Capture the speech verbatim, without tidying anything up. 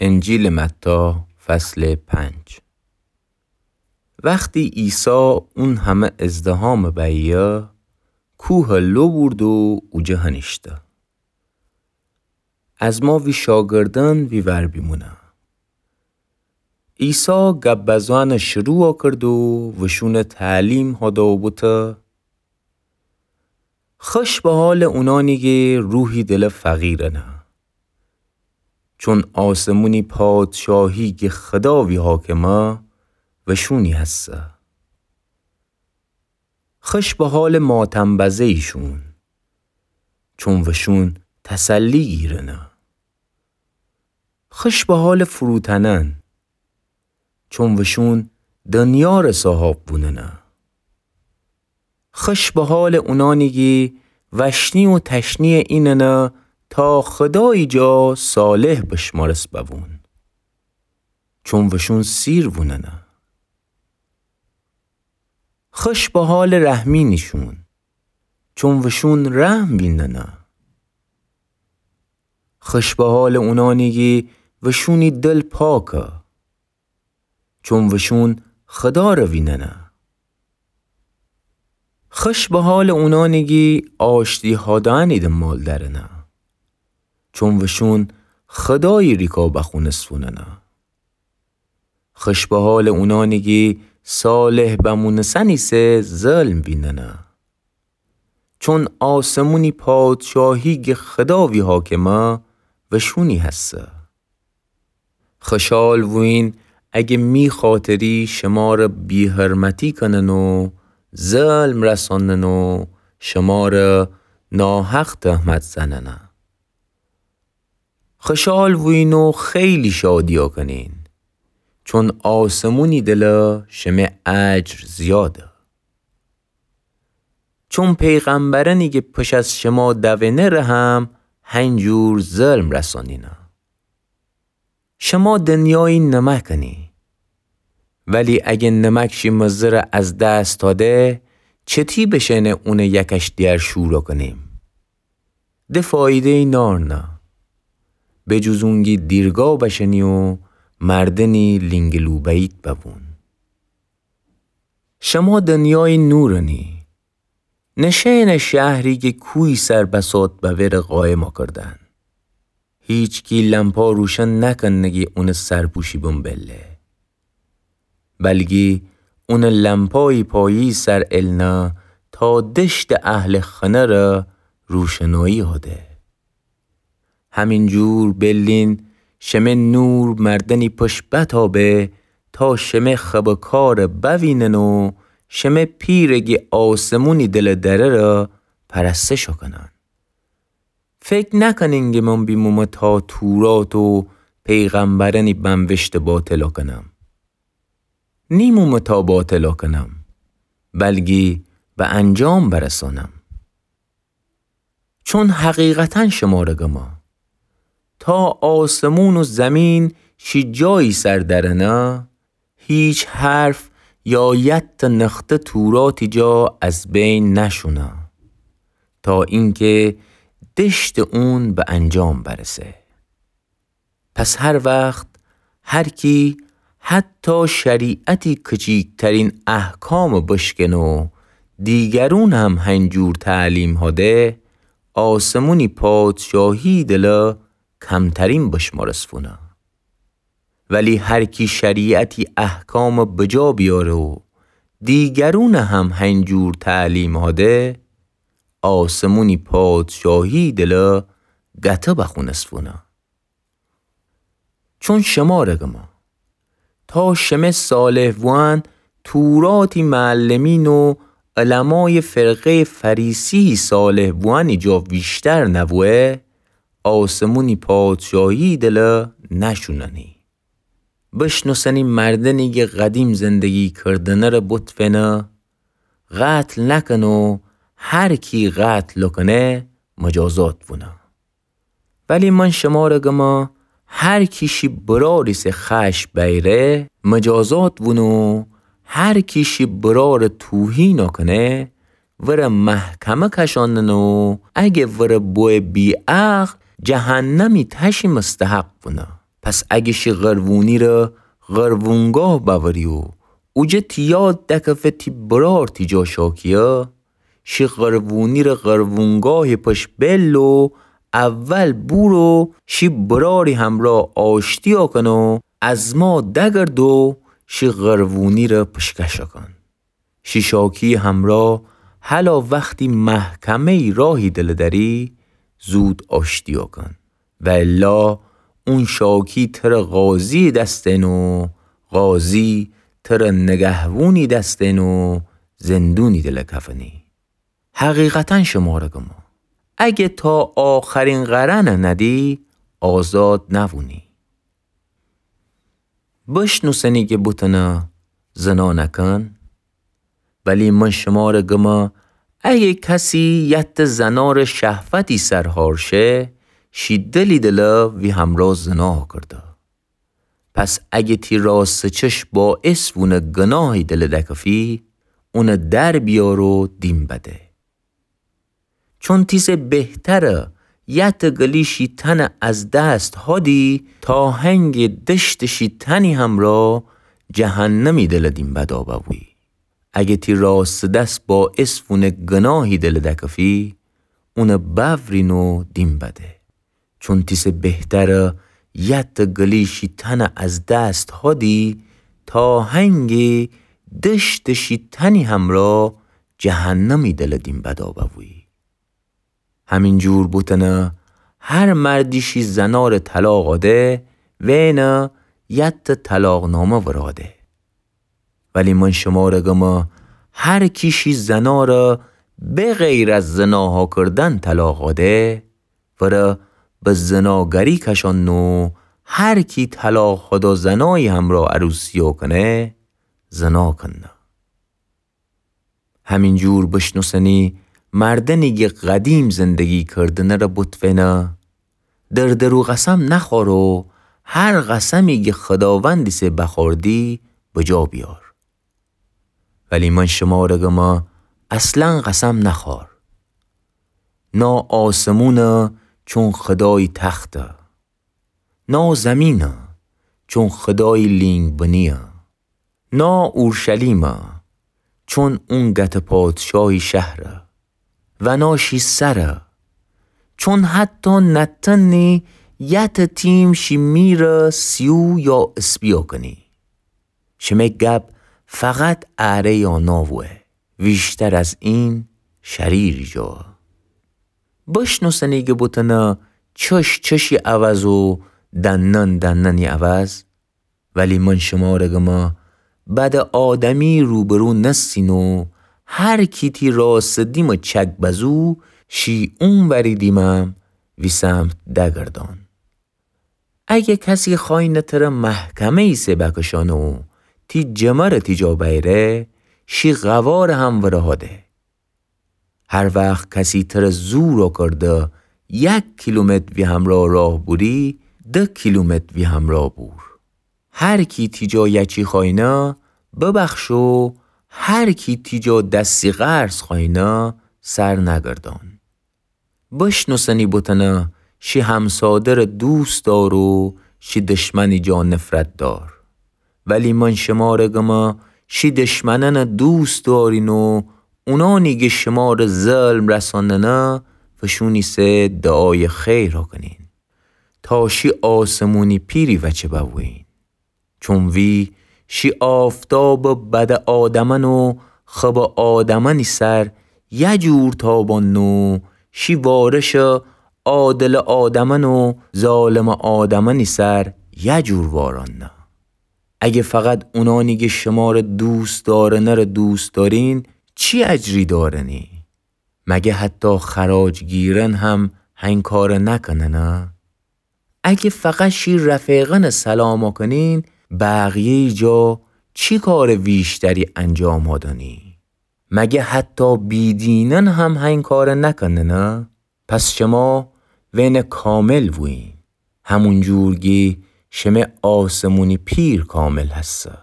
انجیلٚ متی، فصلٚ پنج. وختی عیسی اون همه ازدحامٚ بیه، کوهَ لو بورد و اوجه هنیشته. از ما وی شاگردأن وی ور بیمونه. عیسی گب بزأنَ شروع کرد و وشونَ تعلیم هده و بوته: خوش به حالٚ اونانی کی روحی دلٚ فقیرأنه، چون آسمونی پادشاهی کی خدا وی حاکمه، وشونی هسه. خوش به حالٚ ماتم‌بزه‌ییشون، چون وشون تسلی گیرنه. خوش به حالٚ فروتنأن، چون وشون دنیاره صاحاب بوننه. خوش به حالٚ اونانی کی وشنی و تشنییٚ ایننه تا خدایی جا صالح بشمارس ببون، چون وشون سیر ووننه. خوش به حالٚ رحمینیشون، چون وشون رحم ویننه. خوش به حالٚ اونانی کی وشونی دل پاکه، چون وشون خداره ویننه. خوش به حالٚ اونانی کی آشتی هادأنی دنبال درنه، چون وشون خدایی ریکا بخونس فوننه. خوش به حالٚ اونانی کی صالح بمونسن ایسه ظلم ویننه، چون آسمونی پادشاهی کی خدا وی حاکمه، وشونی هسه. خوشحال بویین اگه می خاطری شماره بی‌حرمتی کنن و ظلم رسانن و شماره ناحق تهمت زننه. خوشحال بویین و خیلی شادیا کنین، چون آسمونی دله شمه اجر زیاده. چون پیغمبرأنی کی پش از شما دونه‌ره هم هنجور ظلم رسانینه. شما دنیایی نمکأنی، ولی اگه نمک شی مزه‌ره از دس تاده، چتی بشأنه اونه یکش دیگر شورا کنیم؟ ده فایده‌یی نارنه، به جز اونگی دیرگا بشأنی و مردنی لینگلوبه‌ییت ببون. شما دنیایی نورأنی. نشأنه شهری کی کوهی سر بساط ببره قایما کردن. هیچکی لمپا روشن نکنه کی اونه سرپوشی بمبله، بلکی اونه لمپایی پایی سر النه تا دشتٚ اهلٚ خنه‌ره روشنایی هده. همینجور بیلین شمه نور مردنی پش بتابه تا شمه خبٚ کاره بوینن و شمه پیره کی آسمونی دله درره پرستش کنن. فکر نکنین کی من بیمومه تا تورات و پیغمبرأنی بنوشته باطلا کنم. نیمومه تا باطلا کنم، بلکی به انجام برسانم. چون حقیقتا شمره گمه، تا آسمون و زمین شی جایی سر درنه، هیچ حرف یا یتأ نخته توراتی جا از بین نشونه، تا اینکه دشتٚ اون به انجام برسه. پس هر وخت هر کی حتی شریعتی کچیکترین احکام بشکنه و دیگرون هم هنجور تعلیم هده، آسمونی پادشاهی دله کمترین بشمارس فونه. ولی هر کی شریعتی احکام بجا بیاره و دیگرون هم هنجور تعلیم هده، آسمونی پادشاهی دله گته بخونس فونه. چون شمره گمه، تا شمه صالح بوأن توراتی معلمین و علمای فرقه‌یٚ فریسی صالح بوأنی جا ویشتر نبوه، آسمونی پادشاهی دله نشوننی. بشنوسنی مردنی کی قدیم زندگی کردنه ره بتفنه، قتل نکن و هر کی قتل کنه مجازات بونه. ولی من شمره گمه، هر کی شی براری سه خشم بیره مجازات بونه و هر کی شی براره توهین کنه وره محکمه کشاننه و اگه وره بوه بی‌عقل جهنمی تشی مستحق بونه. پس اگه شی قروونیره قروونگاه بأوری و اوجه تی یاد دکفه تی برار تی جا شاکیه، شی قروونیره قروونگاهی پش بل و اول بورو شی براری همرا آشتیا کن و از ما دگرد و شی قروونیره پشکش کن. شی شاکی همرا هلا وختی محکمه‌یی راهی دل دری، زود آشتیا کن. و الا اون شاکی تره قاضی دستن و قاضی تره نگهوونی دستن و زندونی دل کفنی. حقیقتا شماره گمه، اگه تا آخرین قرنه ندی، آزاد نوونی. بشنوسنی گه بوتنه زنا نکن. ولی من شماره گمه، اگه کسی یت زنار شهوتی سر هار شه، شی دلی دل وی همرا زنا کرده. پس اگه تی راست چش باعث وونه گناهی دل دکفی، اونه در بیار و دیم بده. چون تیسه بهتره یت گلی شی تنه از دست هادی، تا هنگ دشت شی تنی همرا جهنمی دل دیم بدا بوی. اگه تی راست دست باعث وونه گناهی دل دکفی، اونه بورین و دیم بده. چون تیسه بهتره یت گلی شی تنه از دست هادی، تا هنگ دشت شی تنی همرا جهنمی دل دیم بدا بوی. همین جور بوتنه هر مردی شی زنار طلاق آده، وینه یت طلاق نامه وراده. ولی من شماره گمه، هر کی شی زناره به غیر از زناها کردن طلاق آده، وره به زناگری کشان و هر کی طلاق خودا زنایی همرا عروسیا کنه، زنا کنه. همین جور بشنوسنی مردنی گه قدیم زندگی کردنه ره بوتوینه، در درو قسم نخوار و هر قسمی گه خداوندی سه بخوردی بجا بیار. ولی من شماره گمه اصلا قسم نخوار. نا آسمونه چون خدایی تخته. نا زمینه چون خدایی لینگ بنیه. نا اورشلیمه چون اون گت پادشاهی شهره. و نا شی سره چون حتی نتنی یت تیم شی میره سیو یا اسپیا کنی. شمه گب فقط اره یا ناوه، ویشتر از این شریری جا. بشنوسنی گه بوتنه چش چشی عوض و دنن دننی عوض. ولی من شماره گمه بد آدمی روبرو نستین و هر کی تی راست دیم چک بزو شی اون وری دیمم وی سمت دگردان. اگه کسی خوینه تره محکمه‌یی سه بکشانه و تی جمره تی جا بیره، شی قواره هم وره هاده. هر وخت کسی تره زور کرده یک کیلومتر وی همرا راه بوری، ده کیلومتر وی همرا بور. هر کی تی جا یچی خوینه، ببخش و هر کی تی جا دستی قرض خوینه، سر نگردان. بشنوسنی بوتنه شی همسادره دوست دار و شی دشمنی جا نفرت دار. ولی من شماره گمه شی دشمننه دوست دارین و اونانی گه شماره ظلم رساننه فشونی سه دعای خیر کنین تا شی آسمونی پیری وچه بوین. چون وی شی آفتابه بد آدمن و خب آدمنی سر یه جور تابان و شی وارش عادل آدمن و ظالم آدمنی سر یه جور واران نه. اگه فقط اونانی گه شماره دوست دارنه ره دوست دارین، چی اجری دارنی؟ مگه حتی خراج گیرن هم هنکاره نکننه؟ اگه فقط شی رفیقن سلام کنین، بقیه‌ی جا چی کار ویشتری انجام دانی؟ مگه حتی بیدینن هم هنکاره نکننه؟ پس شما وین کامل بوین، همون جور گی شمه آسمونی پیر کامل هسته.